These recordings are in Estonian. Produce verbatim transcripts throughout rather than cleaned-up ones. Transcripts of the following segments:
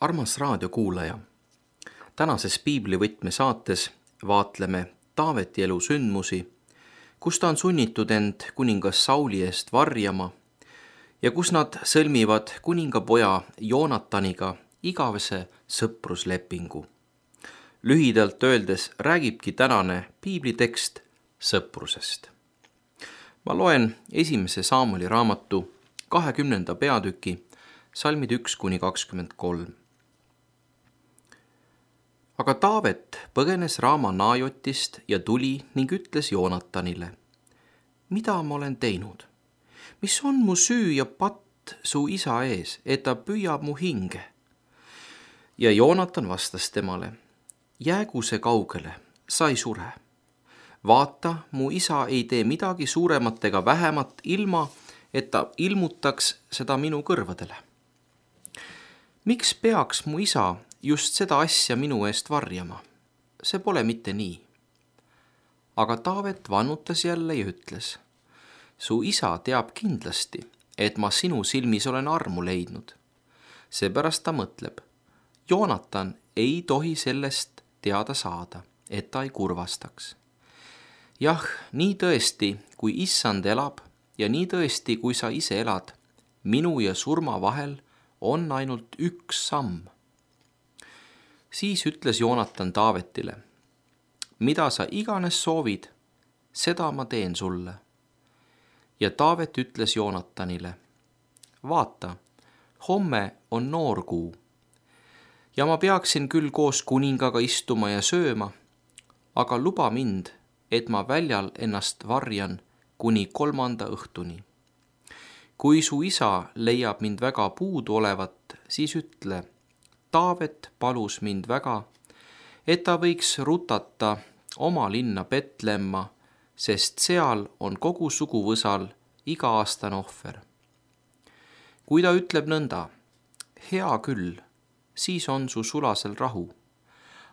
Armas raadiokuulaja, tänases piiblivõtme saates vaatleme Taaveti elu sündmusi, kus ta on sunnitud end kuningas Sauli eest varjama ja kus nad sõlmivad kuningapoja Joonataniga igavese sõpruslepingu. Lühidalt öeldes räägibki tänane piiblitekst sõprusest. Ma loen esimese Saamuli raamatu kahekümnenda peatüki salmid üks kuni kakskümmend kolm. Aga Taavet põgenes Raama Naajotist ja tuli ning ütles Joonatanile: mida ma olen teinud? Mis on mu süü ja patt su isa ees, et ta püüab mu hinge? Ja Joonatan vastas temale: jäägu see kaugele, sa ei sure. Vaata, mu isa ei tee midagi suuremat ega vähemat, ilma et ta ilmutaks seda minu kõrvadele. Miks peaks mu isa just seda asja minu eest varjama? See pole mitte nii. Aga Taavet vannutas jälle ja ütles: su isa teab kindlasti, et ma sinu silmis olen armu leidnud. Seepärast ta mõtleb: Joonatan ei tohi sellest teada saada, et ta ei kurvastaks. Jah, nii tõesti, kui issand elab ja nii tõesti, kui sa ise elad, minu ja surma vahel on ainult üks samm. Siis ütles Joonatan Taavetile: mida sa iganes soovid, seda ma teen sulle. Ja Taavet ütles Joonatanile: vaata, homme on noorkuu ja ma peaksin küll koos kuningaga istuma ja sööma, aga luba mind, et ma väljal ennast varjan kuni kolmanda õhtuni. Kui su isa leiab mind väga puudu olevat, siis ütle: Taavet palus mind väga, et ta võiks rutata oma linna Betlemma, sest seal on kogu suguvõsal iga-aastane ohver. Kui ta ütleb nõnda: hea küll, siis on su sulasel rahu,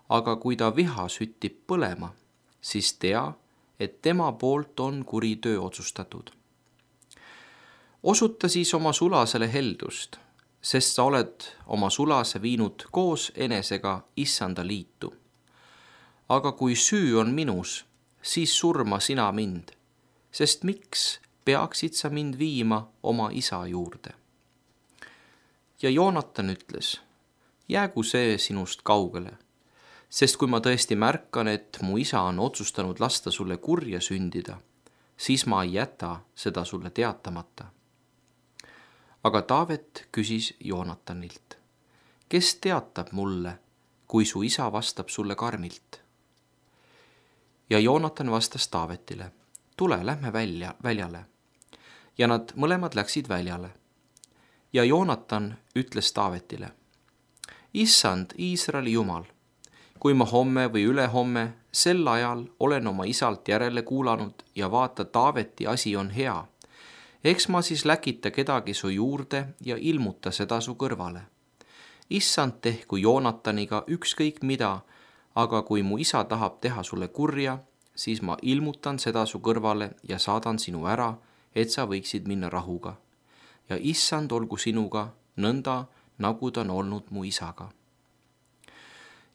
aga kui ta viha süttib põlema, siis tea, et tema poolt on kuri töö otsustatud. Osuta siis oma sulasele heldust, sest sa oled oma sulase viinud koos enesega issanda liitu. Aga kui süü on minus, siis surma sina mind, sest miks peaksid sa mind viima oma isa juurde? Ja Joonatan ütles: jäägu see sinust kaugele, sest kui ma tõesti märkan, et mu isa on otsustanud lasta sulle kurja sündida, siis ma ei jäta seda sulle teatamata. Aga Taavet küsis Joonatanilt: kes teatab mulle, kui su isa vastab sulle karmilt? Ja Joonatan vastas Taavetile: tule, lähme välja, väljale. Ja nad mõlemad läksid väljale. Ja Joonatan ütles Taavetile: issand, Iisraeli Jumal, kui ma homme või ülehomme sel ajal olen oma isalt järele kuulanud ja vaata, Taaveti asi on hea, eks ma siis läkita kedagi su juurde ja ilmuta seda su kõrvale. Issand tehku Joonataniga ükskõik mida, aga kui mu isa tahab teha sulle kurja, siis ma ilmutan seda su kõrvale ja saadan sinu ära, et sa võiksid minna rahuga. Ja issand olgu sinuga nõnda, nagu ta on olnud mu isaga.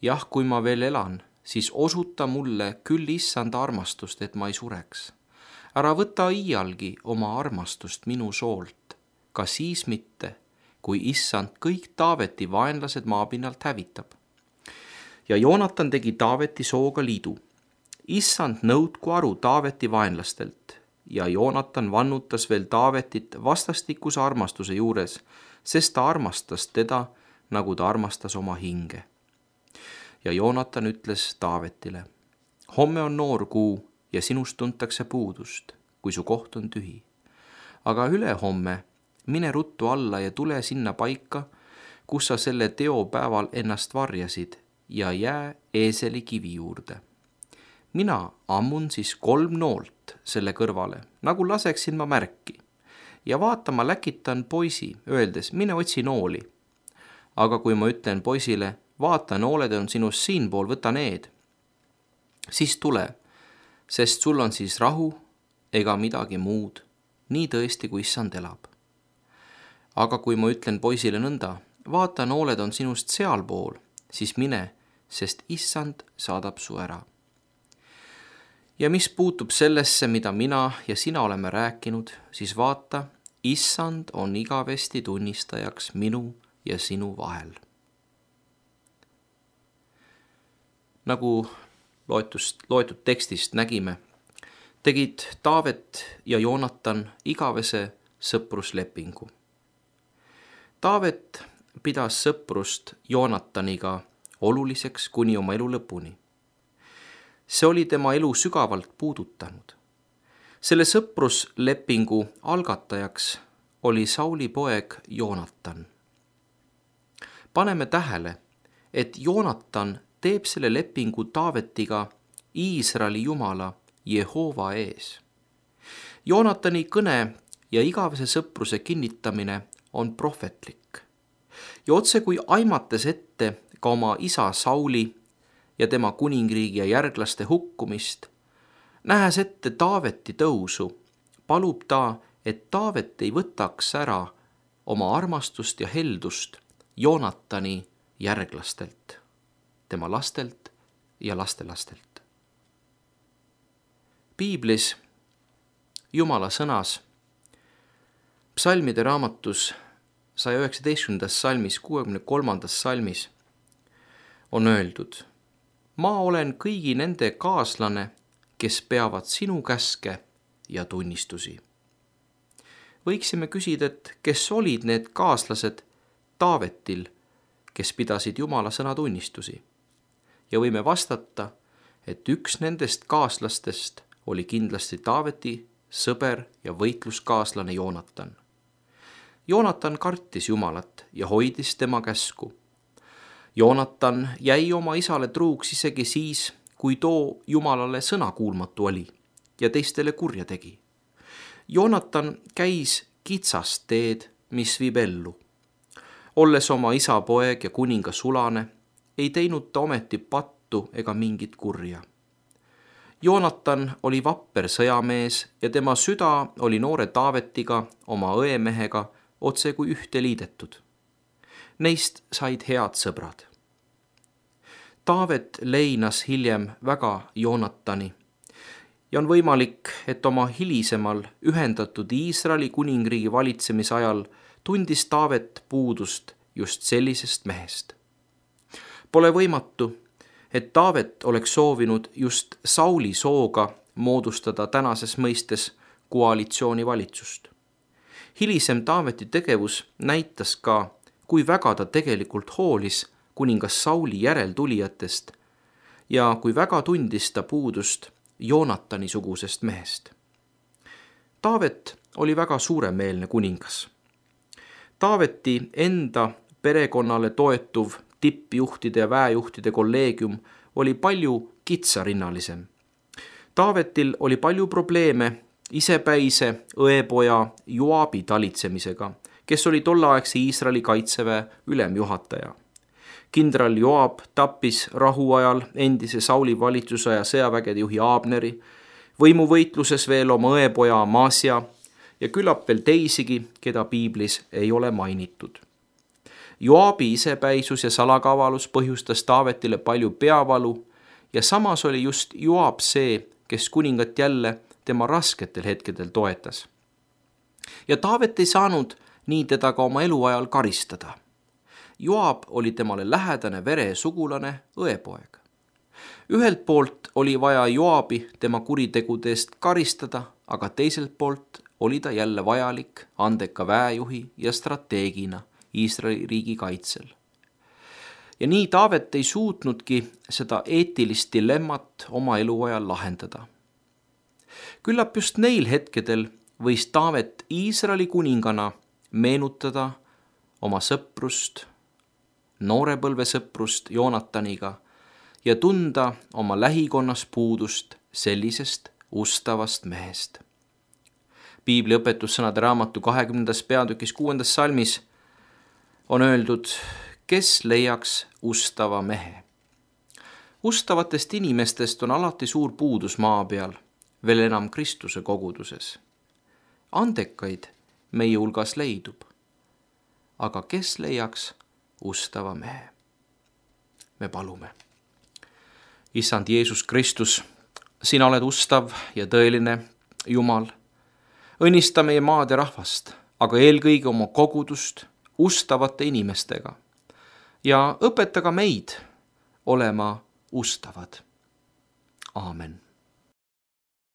Jah, kui ma veel elan, siis osuta mulle küll issanda armastust, et ma ei sureks. Ära võta iialgi oma armastust minu soolt, ka siis mitte, kui issand kõik Taaveti vaenlased maapinnalt hävitab. Ja Joonatan tegi Taaveti sooga liidu. Issand nõudku aru Taaveti vaenlastelt, ja Joonatan vannutas veel Taavetit vastastikuse armastuse juures, sest ta armastas teda, nagu ta armastas oma hinge. Ja Joonatan ütles Taavetile: homme on noorkuu ja sinust tuntakse puudust, kui su koht on tühi. Aga ülehomme mine ruttu alla ja tule sinna paika, kus sa selle teopäeval ennast varjasid, ja jää eeseli kivi juurde. Mina ammun siis kolm noolt selle kõrvale, nagu laseksin ma märki. Ja vaata, ma läkitan poisi, öeldes: mine otsi nooli. Aga kui ma ütlen poisile: vaata, nooled on sinust siinpool, võta need, siis tule, sest sul on siis rahu ega midagi muud, nii tõesti, kui issand elab. Aga kui ma ütlen poisile nõnda: vaata, nooled on sinust sealpool, siis mine, sest issand saadab su ära. Ja mis puutub sellesse, mida mina ja sina oleme rääkinud, siis vaata, issand on igavesti tunnistajaks minu ja sinu vahel. Nagu loetust, loetud tekstist nägime, tegid Taavet ja Joonatan igavese sõpruslepingu. Taavet pidas sõprust Joonataniga oluliseks kuni oma elu lõpuni. See oli tema elu sügavalt puudutanud. Selle sõpruslepingu algatajaks oli Sauli poeg Joonatan. Paneme tähele, et Joonatan teeb selle lepingu Taavetiga Iisraeli Jumala Jehova ees. Joonatani kõne ja igavese sõpruse kinnitamine on prohvetlik. Ja otse kui aimates ette ka oma isa Sauli ja tema kuningriigi ja järglaste hukkumist, nähes ette Taaveti tõusu, palub ta, et Taavet ei võtaks ära oma armastust ja heldust Joonatani järglastelt, tema lastelt ja lastelastelt. Piiblis, Jumala sõnas, psalmide raamatus saja üheksateistkümnendas salmis, kuuekümne kolmandas salmis on öeldud: ma olen kõigi nende kaaslane, kes peavad sinu käske ja tunnistusi. Võiksime küsida, et kes olid need kaaslased Taavetil, kes pidasid Jumala sõna tunnistusi. Ja võime vastata, et üks nendest kaaslastest oli kindlasti Taaveti sõber ja võitluskaaslane Joonatan. Joonatan kartis Jumalat ja hoidis tema käsku. Joonatan jäi oma isale truuks isegi siis, kui too Jumalale sõnakuulmatu oli ja teistele kurja tegi. Joonatan käis kitsast teed, mis viib ellu. Olles oma isa poeg ja kuninga sulane, ei teinud ta ometi pattu ega mingit kurja. Joonatan oli vapper sõjamees ja tema süda oli noore Taavetiga, oma õemehega, otse kui ühte liidetud. Neist said head sõbrad. Taavet leinas hiljem väga Joonatani ja on võimalik, et oma hilisemal ühendatud Iisraeli kuningriigi valitsemise ajal tundis Taavet puudust just sellisest mehest. Pole võimatu, et Taavet oleks soovinud just Sauli sooga moodustada tänases mõistes koalitsioonivalitsust. Hilisem Taaveti tegevus näitas ka, kui väga ta tegelikult hoolis kuningas Sauli järeltulijatest ja kui väga tundis ta puudust Joonatani sugusest mehest. Taavet oli väga suuremeelne kuningas. Taaveti enda perekonnale toetuv tippjuhtide ja väejuhtide kolleegium oli palju kitsarinnalisem. Taavetil oli palju probleeme isepäise õepoja Joabi talitsemisega, kes oli tolleaegse Iisraeli kaitseväe ülemjuhataja. Kindral Joab tappis rahuajal endise Sauli valitsuse ja sõjavägede juhi Abneri, võimuvõitluses veel oma õepoja Amasia ja küllap veel teisigi, keda piiblis ei ole mainitud. Joabi isepäisus ja salakavalus põhjustas Taavetile palju peavalu ja samas oli just Joab see, kes kuningat jälle tema rasketel hetkedel toetas. Ja Taavet ei saanud nii teda ka oma eluajal karistada. Joab oli temale lähedane veresugulane õepoeg. Ühelt poolt oli vaja Joabi tema kuritegude eest karistada, aga teiselt poolt oli ta jälle vajalik andeka väejuhi ja strateegina Iisraeli riigi kaitsel. Ja nii Taavet ei suutnudki seda eetilist dilemmat oma eluajal lahendada. Küllap just neil hetkedel võis Taavet Iisraeli kuningana meenutada oma sõprust, noorepõlvesõprust Joonataniga ja tunda oma lähikonnas puudust sellisest ustavast mehest. Piibli õpetussõnade raamatu kahekümnendas peatükis kuuendas salmis on öeldud, kes leiaks ustava mehe. Ustavatest inimestest on alati suur puudus maa peal, veel enam Kristuse koguduses. Andekaid meie hulgas leidub, aga kes leiaks ustava mehe. me palume. Issand Jeesus Kristus, sina oled ustav ja tõeline Jumal. Õnnista meie maad ja rahvast, aga eelkõige oma kogudust ustavate inimestega ja õpeta ka meid olema ustavad. Aamen.